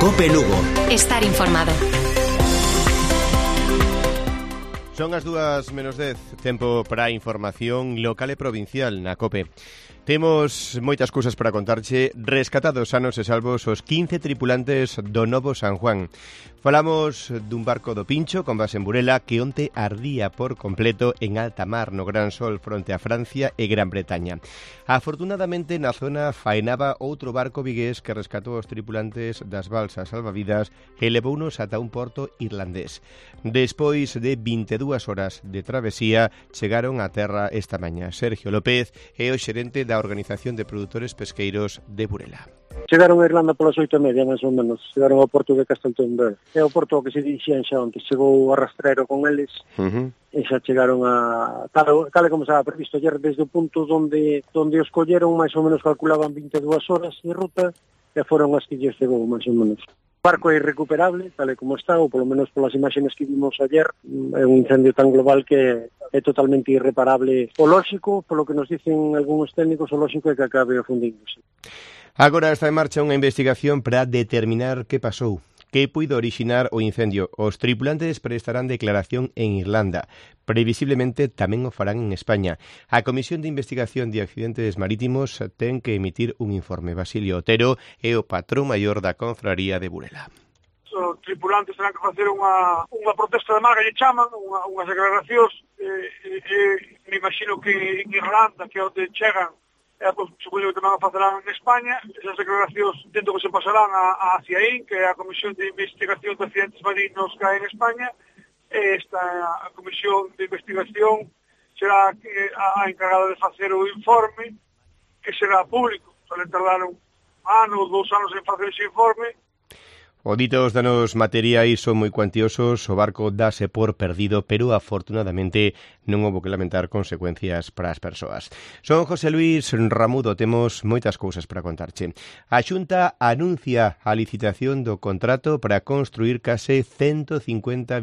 COPE Lugo. Estar informado. Son as 2:10, tempo para a información local e provincial na COPE. Temos moitas cousas para contarche. Rescatados sanos e salvos os 15 tripulantes do Novo San Juan. Falamos dun barco do Pincho con base en Burela que onte ardía por completo en alta mar no Gran Sol fronte a Francia e Gran Bretaña. Afortunadamente na zona faenaba outro barco vigués que rescatou os tripulantes das balsas salvavidas e levounos ata un porto irlandés. Despois de 22 horas de travesía chegaron a terra esta mañá. Sergio López é o xerente da Organización de Produtores Pesqueiros de Burela. Chegaron a Irlanda polas 8:30, máis ou menos. Chegaron ao porto de Casteltombel. É o porto que se dirixían xa onte. Chegou o arrastreiro con eles e xa chegaron a... Tal como estaba previsto ayer, desde o punto onde os colleron, máis ou menos calculaban 22 horas de ruta e foron as que lles chegou, máis ou menos. O barco é irrecuperable, tal e como está, ou polo menos polas imaxes que vimos ayer. É un incendio tan global que é totalmente irreparable. O lóxico, polo que nos dicen algúns técnicos, o lóxico é que acabe afundíndose. Agora está en marcha unha investigación para determinar que pasou, que puido orixinar o incendio. Os tripulantes prestarán declaración en Irlanda. Previsiblemente tamén o farán en España. A Comisión de Investigación de Accidentes Marítimos ten que emitir un informe. Basilio Otero é o patrón maior da Confraría de Burela. Os tripulantes terán que facer unha protesta de mar, que lle chaman, unhas declaracións, me imagino que en Irlanda, que é onde chegan, supoño que tamén a facerán en España. Esas declaracións tento que se pasarán a CIAIN, que é a Comisión de Investigación de Accidentes Marinos que hai en España. Esta a Comisión de Investigación será a encargada de facer o informe, que será público. Suelen tardar un ano ou 2 anos en facer ese informe. O dito os danos materiais son moi cuantiosos, o barco dáse por perdido, pero afortunadamente non houbo que lamentar consecuencias para as persoas. Son José Luis Ramudo, temos moitas cousas para contarche. A Xunta anuncia a licitación do contrato para construir case 150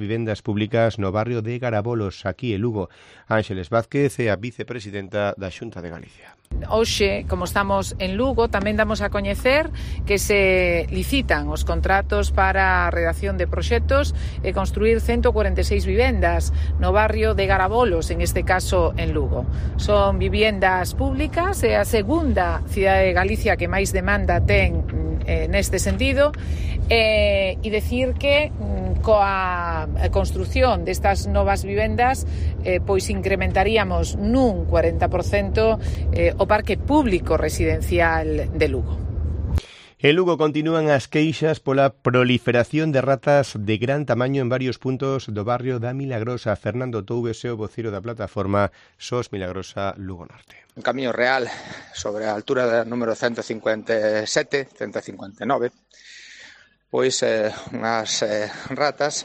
vivendas públicas no barrio de Garabolos, aquí en Lugo. Ángeles Vázquez é a vicepresidenta da Xunta de Galicia. Hoxe, como estamos en Lugo, tamén damos a coñecer que se licitan os contratos para a redacción de proxectos e construir 146 vivendas no barrio de Garabolos, en este caso en Lugo. Son vivendas públicas, é a segunda cidade de Galicia que máis demanda ten neste sentido, e decir que coa construción destas novas vivendas pois incrementaríamos nun 40% o parque público residencial de Lugo. En Lugo continúan as queixas pola proliferación de ratas de gran tamaño en varios puntos do barrio da Milagrosa. Fernando Toubes é o voceiro da plataforma SOS Milagrosa Lugo Norte. Un camiño real sobre a altura da número 157, 159, pois unhas ratas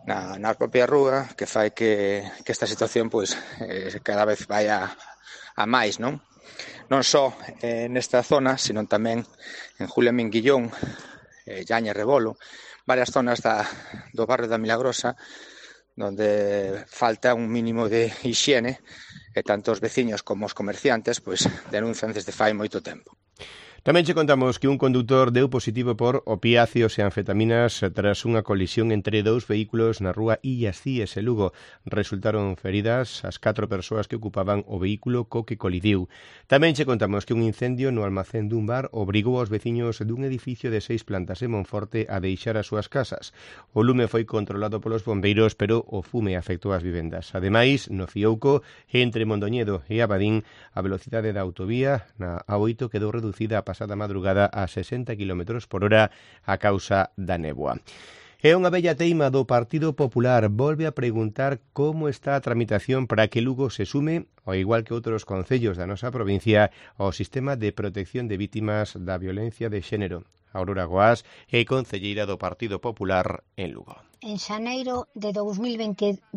na propia rúa que fai que esta situación pois cada vez vai a máis, non? Non só nesta zona, sino tamén en Julia Minguillón, Llaña e Rebolo, varias zonas do barrio da Milagrosa, onde falta un mínimo de hixiene, e tanto os veciños como os comerciantes pois denuncian desde fai moito tempo. Tamén che contamos que un condutor deu positivo por opiáceos e anfetaminas tras unha colisión entre dous vehículos na rúa Illas Cíes e Lugo. Resultaron feridas as 4 persoas que ocupaban o vehículo co que colidiu. Tamén che contamos que un incendio no almacén dun bar obrigou aos veciños dun edificio de 6 plantas en Monforte a deixar as súas casas. O lume foi controlado polos bombeiros, pero o fume afectou as vivendas. Ademais, no Fiouco, entre Mondoñedo e Abadín, a velocidade da autovía na A8 quedou reducida a pasada madrugada a 60 km/h a causa da néboa. É unha bella teima do Partido Popular. Volve a preguntar como está a tramitación para que Lugo se sume, ao igual que outros concellos da nosa provincia, ao sistema de protección de vítimas da violencia de xénero. Aurora Goás é concelleira do Partido Popular en Lugo. En xaneiro de 2022,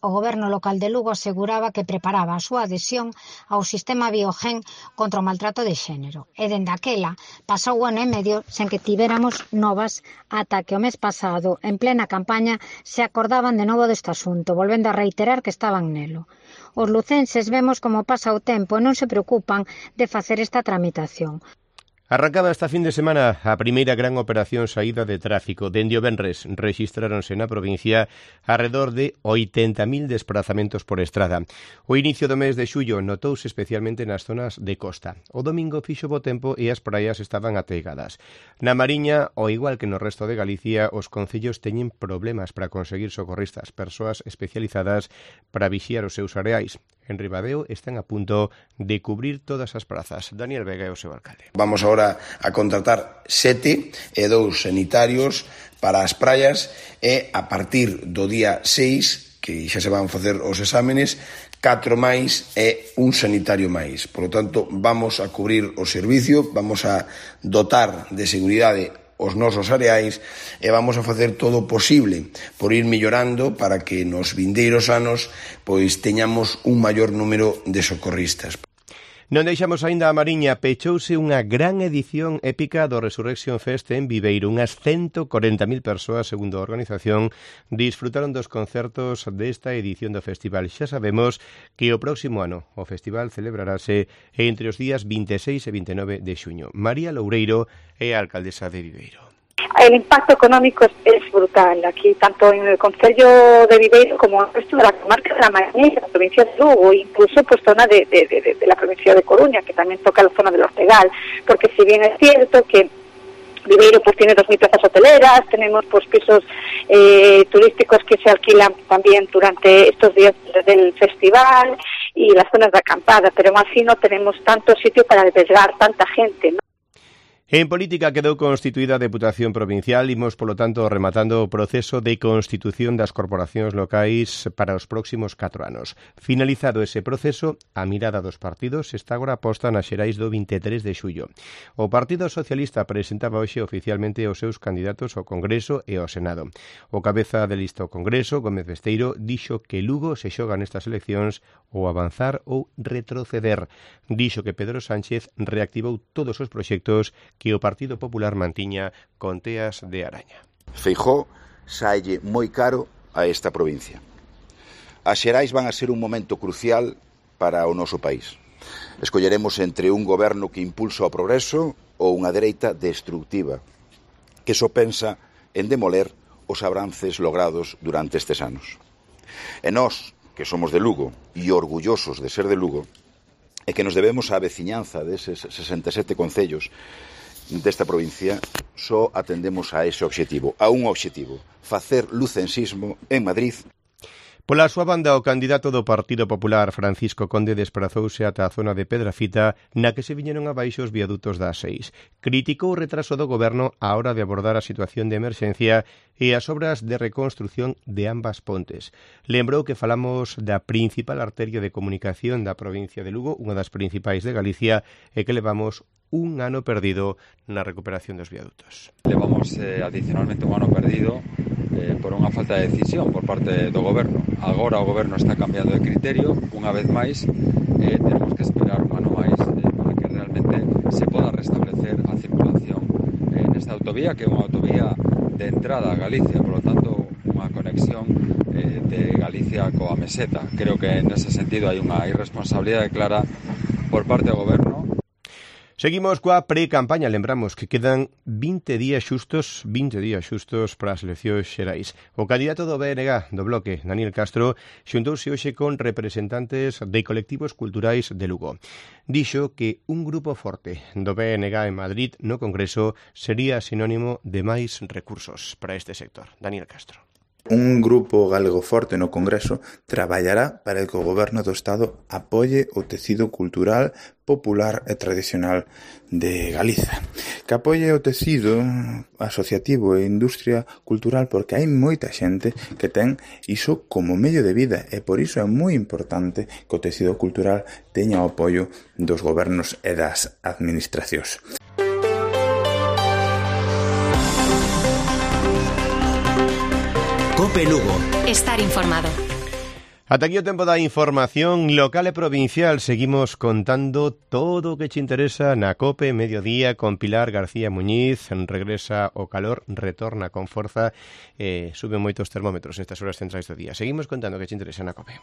o Goberno local de Lugo aseguraba que preparaba a súa adhesión ao sistema Biogen contra o maltrato de xénero. E dende aquela, pasou un ano e medio sen que tivéramos novas ata que o mes pasado, en plena campaña, se acordaban de novo deste asunto, volvendo a reiterar que estaban nelo. Os lucenses vemos como pasa o tempo e non se preocupan de facer esta tramitación. Arrancaba esta fin de semana a primeira gran operación saída de tráfico. Dende o venres rexistráronse na provincia alrededor de 80.000 desplazamentos por estrada. O inicio do mes de xullo notouse especialmente nas zonas de costa. O domingo fixo bo tempo e as praias estaban ateigadas. Na Mariña, ao igual que no resto de Galicia, os concellos teñen problemas para conseguir socorristas, persoas especializadas para vixiar os seus areais. En Ribadeo están a punto de cubrir todas as prazas. Daniel Vega é o seu alcalde. Vamos agora a contratar 7 e 2 sanitarios para as praias e a partir do día 6, que xa se van facer os exámenes, 4 máis e un sanitario máis. Por lo tanto, vamos a cubrir o servicio, vamos a dotar de seguridade os nosos areais e vamos a facer todo o posible por ir mellorando para que nos vindeiros anos pois teñamos un maior número de socorristas. Non deixamos aínda a Mariña, pechouse unha gran edición épica do Resurrection Fest en Viveiro. Unhas 140.000 persoas, segundo a organización, disfrutaron dos concertos desta edición do festival. Xa sabemos que o próximo ano o festival celebrarase entre os días 26 e 29 de xuño. María Loureiro é a alcaldesa de Viveiro. El impacto económico es brutal aquí, tanto en el concello de Viveiro como en el resto de la comarca de la Mariña, la provincia de Lugo, incluso pues zona de la provincia de Coruña, que también toca la zona del Ortegal, porque si bien es cierto que Viveiro pues tiene 2.000 plazas hoteleras, tenemos pues pisos turísticos que se alquilan también durante estos días del festival y las zonas de acampada, pero aún así no tenemos tanto sitio para albergar tanta gente, ¿no? En política quedou constituída a Deputación Provincial, imos, polo tanto, rematando o proceso de constitución das corporacións locais para os próximos 4 anos. Finalizado ese proceso, a mirada dos partidos está agora posta nas xerais do 23 de xullo. O Partido Socialista presentaba hoxe oficialmente os seus candidatos ao Congreso e ao Senado. O cabeza de lista ao Congreso, Gómez Besteiro, dixo que Lugo se xoga nestas eleccións ou avanzar ou retroceder. Dixo que Pedro Sánchez reactivou todos os proxectos que o Partido Popular mantiña con teas de araña. Feijóo saelle moi caro a esta provincia. As xerais van a ser un momento crucial para o noso país. Escolleremos entre un goberno que impulsa o progreso ou unha dereita destructiva, que só pensa en demoler os avances logrados durante estes anos. E nós, que somos de Lugo e orgullosos de ser de Lugo, e que nos debemos á veciñanza deses 67 concellos desta provincia, só atendemos a ese obxectivo, a un obxectivo, facer lucensismo en Madrid. Pola súa banda, o candidato do Partido Popular, Francisco Conde, desprazouse ata a zona de Pedrafita, na que se viñeron abaixo os viadutos das 6. Criticou o retraso do goberno á hora de abordar a situación de emerxencia e as obras de reconstrución de ambas pontes. Lembrou que falamos da principal arteria de comunicación da provincia de Lugo, unha das principais de Galicia, e que levamos un ano perdido na recuperación dos viadutos. Levamos adicionalmente un ano perdido por unha falta de decisión por parte do goberno. Agora o goberno está cambiando de criterio, unha vez máis, tenemos que esperar un ano máis para que realmente se poda restablecer a circulación nesta autovía, que é unha autovía de entrada a Galicia, por lo tanto, unha conexión de Galicia coa meseta. Creo que nese sentido hai unha irresponsabilidade clara por parte do goberno. Seguimos coa pre-campaña, lembramos que quedan 20 días xustos para as eleccións xerais. O candidato do BNG, do Bloque, Daniel Castro, xuntouse hoxe con representantes de colectivos culturais de Lugo. Dixo que un grupo forte do BNG en Madrid no Congreso sería sinónimo de máis recursos para este sector. Daniel Castro. Un grupo galego forte no Congreso traballará para que o Goberno do Estado apoie o tecido cultural, popular e tradicional de Galiza. Que apoie o tecido asociativo e industria cultural porque hai moita xente que ten iso como medio de vida e por iso é moi importante que o tecido cultural teña o apoio dos gobernos e das administracións. Cope Lugo. Estar informado. Ata aquí o tempo da información local e provincial. Seguimos contando todo o que te interesa na Cope Mediodía con Pilar García Muñiz. Regresa o calor, retorna con forza, suben moitos termómetros nestas horas centrais do día. Seguimos contando o que te interesa na Cope.